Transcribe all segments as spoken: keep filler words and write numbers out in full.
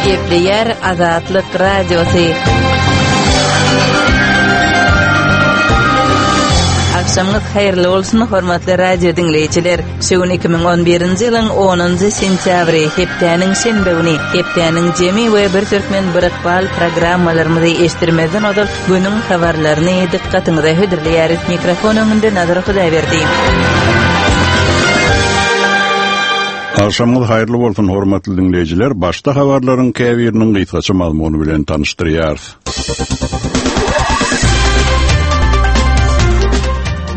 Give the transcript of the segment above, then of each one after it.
Gepleýär Azatlyk Radiosy. Akşamyňyz haýyrly bolsun, hormatly radio diňleýjiler. Şu gün iki müň on birinji ýylyň onunjy sentýabry, hepdäniň şenbe güni, hepdäniň jemi we bir türkmen bir ykbal programmalarymyzy eşitdirmezden ozal günüň habarlaryny dykgatyňyza hödürleýäris. Mikrofon öňünde Nazar Hudaýberdi. Akşamyňyz haýyrly bolsun, hormatly diňleýjiler. Başda habarlaryň käbiriniň gysgaça mazmuny bilen tanyşdyrýarys.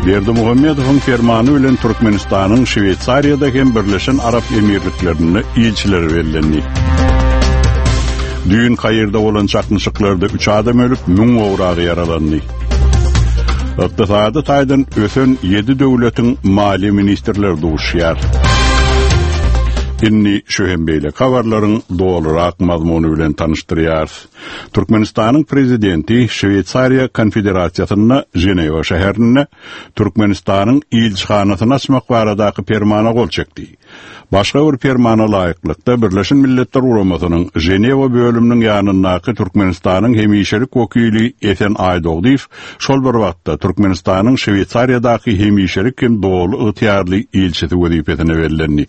Berdimuhamedowyň fermany bilen Türkmenistanyň Şweýsariýada hem Birleşen Arap Emirliklerinde ilçileri bellendi. Düýn Kaýirde bolan çaknyşyklarda üç adam ölüp, müň gowragy ýaralandy. Ykdysady taýdan ösen ýedi döwletiň maliýe ministrleri duşýar. Inni şu hem beýle habarlaryň dolurak mazmuny bilen tanyşdyrýarys. Türkmenistanyň prezidenti Şweýsariýa Konfederasiýasynda Ženewa şäherinde Türkmenistanyň ilçihanasyny açmak baradaky permana gol çekdi. Başga bir permana laýyklykda Birleşen Milletler Guramasynyň Ženewa bölüminiň ýanyndaky Türkmenistanyň hemişelik wekili Esen Aýdogdyýew şol bir wagtda Türkmenistanyň Şweýsariýadaky hemişelik hem doly ygtyýarly ilçisi wezipesine bellendi.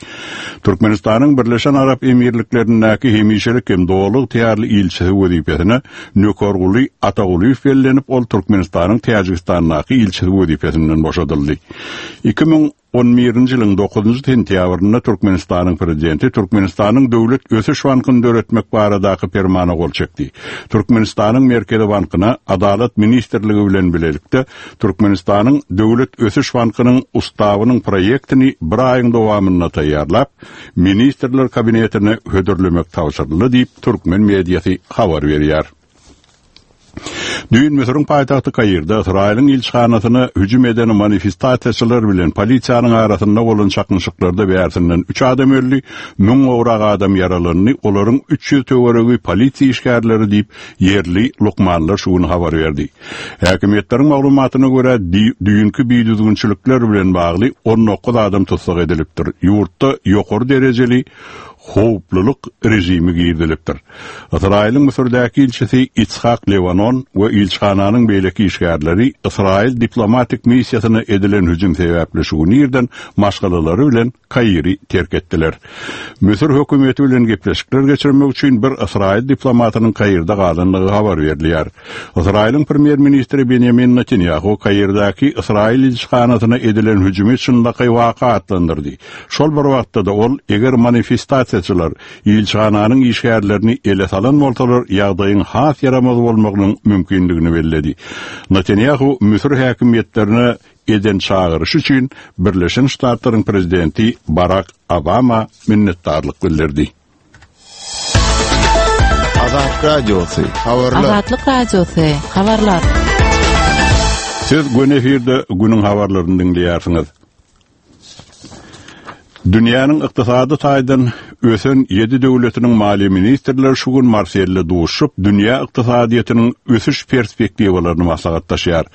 Türkmenistanyň Birleşen Arap Emirliklerindäki hemişelik hem doly ygtyýarly ilçisi wezipesine Nökerguly Atagulyýew bellenip, ol Türkmenistanyň Täjigistandaky ilçisi wezipesinden boşadyldy. iki müň on birinji ýylyň dokuzynjy sentýabrynda Türkmenistanyň prezidenti Türkmenistanyň Döwlet Ösüş Bankyny döretmek baradaky permana gol çekdi. Türkmenistanyň Merkezi Bankyna Adalat Ministrligi bilen bilelikde Türkmenistanyň Döwlet Ösüş Bankynyň ustawynyň proýektini bir aýyň dowamynda taýýarlap, Ministrler Kabinetine hödürlemek tabşyryldy diýip Türkmen mediasy habar berýär. Düýn Müsüriň paýtagty Kaýirde Ysraýylyň ilçihanasyna hüjüm eden manifestasiýaçylar bilen polisiýanyň arasynda bolan çaknyşyklarda bärsinden üç adam öldi, müň gowrak adam ýaralandy, olaryň üç ýüz töweregi polisiýa işgärleri diýip ýerli lukmanlar şu gün habar berdi. Häkimiýetleriň maglumatyna görä düýnki bidüzgünçilikler bilen bagly on dokuz adam tussag edilipdir. Ýurtda ýokary derejeli howplulyk rejimi girizilipdir. Ysraýylyň Müsürdäki ilçisi Itzhak Levanon we ilçihananyň beýleki işgärleri Ysraýyl diplomatik missiýasyna edilen hüjüm sebäpli şu gün irden maşgalalary bilen Kaýiri terk etdiler. Müsür hökümeti bilen gepleşikler geçirmek üçin bir Ysraýyl diplomatynyň Kaýirde galandygy habar berilýär. Ysraýylyň premýer-ministri Benjamin Netanyahu Kaýirdäki Ysraýyl ilçihanasyna edilen hüjümi çynlakaý waka atlandyrdy. Şol bir wagtda da ol eger manifestasiýaçylar ilçihananyň işgärlerini ele salan bolsalar, ýagdaýyň has ýaramaz bolmagynyň mümkinligini belledi. Netanyahu Müsür häkimiýetlerine eden çagyryş üçin Birleşen Ştatlaryň prezidenti Barack Obama minnetdarlyk bildirdi. Azatlyk Radiosy, habarlar. Azatlyk Radiosy, habarlar. Siz gün efirde günüň habarlaryny diňleýärsiňiz. Dünýäniň ykdysady taýdan ösen ýedi döwletiniň maliýe ministrleri şu gün Marselde duşup, dünýä ykdysadyýetiniň ösüş perspektiwalaryny maslahatlaşýar.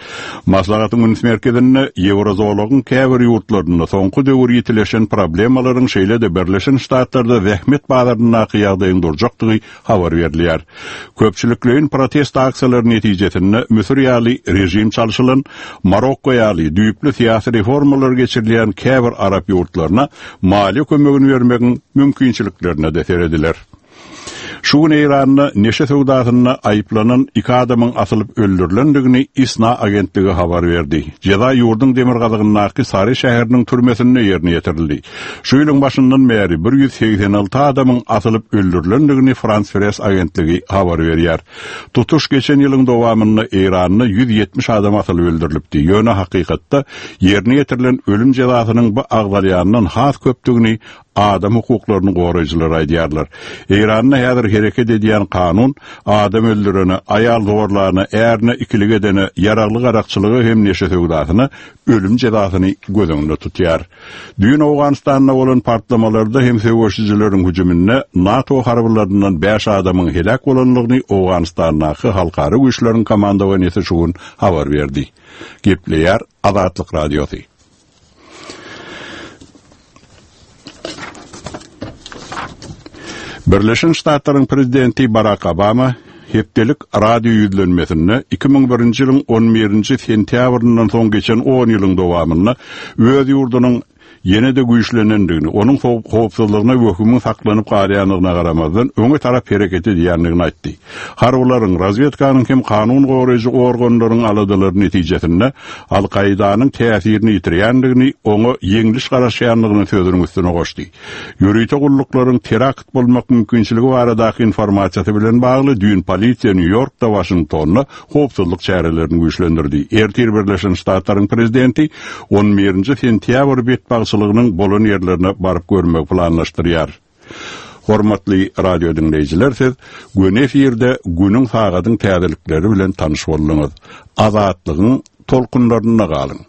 Maslahatyň üns merkezinde Ýewrozolagyň käbir ýurtlarynda soňky döwür ýetileşen problemalaryň şeýle-de Birleşen Ştatlarda zähmet bazaryndaky ýagdaýyň durjakdygy habar berilýär. Köpçülikleýin protest aksiýalary netijesinde Müsür ýaly rejim çalşylan, Marokko ýaly düýpli syýasy reformalar geçirilýän käbir arap ýurtlaryna maliýe kömegini bermegiň mümkinçiliklerine de serediler. Şu gün Eýranda neşe söwdasynda aýyplanan iki adamyň asylyp öldürilendigini İSNA agentligi habar berdi. Jeza ýurduň demirgazygyndaky Sary şäheriniň türmesinde ýerine ýetirildi. Şu ýylyň başyndan bäri bir ýüz segsen alty adamyň asylyp öldürilendigini Frans Press agentligi habar berýär. Tutuş geçen ýylyň dowamynda Eýranda ýüz ýetmiş adam asylyp öldürilipdi. Ýöne hakykatda ýerine ýetirilen ölüm jezasynyň bu agzalýandan has köpdügini adam hukuklaryny goraýjylar aýdýarlar. Eýranda häzir hereket edýän kanun adam öldürene, aýal zorlaryna, ärine ikilik edene, ýaragly garakçylygy hem neşe söwdasyna ölüm jezasyny göz öňünde tutýar. Düýn Owganystanda bolan partlamalarda hem söweşijileriň hüjüminde NATO harbylaryndan bäş adamyň heläk bolanlygyny Owganystandaky halkara güýçleriň komandowaniýasy şu gün habar berdi. Gepleýär Azatlyk Radiosy. Birleşen Ştatlaryň prezidenti Barack Obama hepdelik radio ýüzlenmesinde iki müň birinji ýylyň on birinji sentýabryndan soň geçen on ýylyň dowamynda öz ýurdunyň ýene de güýçlenendigini, onuň howpsuzlygyna wehimiň saklanyp galýandygyna garamazdan öňe tarap hereket edýändigini aýtdy. Harbylaryň, razvedkanyň hem kanun goraýjy organlaryň aladalary netijesinde Al-Kaidanyň täsirini ýitirýändigini, oňa ýeňliş garaşýandygyny sözüniň üstüne goşdy. Ýörite gulluklaryň terakt bolmak mümkinçiligi baradaky informasiýasy bilen bagly düýn polisiýa Nýu-Ýorkda, Waşingtonda howpsuzlyk çärelerini güýçlendirdi. Ertir Birleşen Ştatlaryň prezidenti on birinji sentýabr betbagtçylygynyň bolan ýerlerine baryp görmek planlaşdyrýar. Hormatly radio dinleýjiler, siz gün efirde günüň sagadyň täzelikleri bilen tanyş bolduňyz. Azatlygyň tolkunlarynda galyň.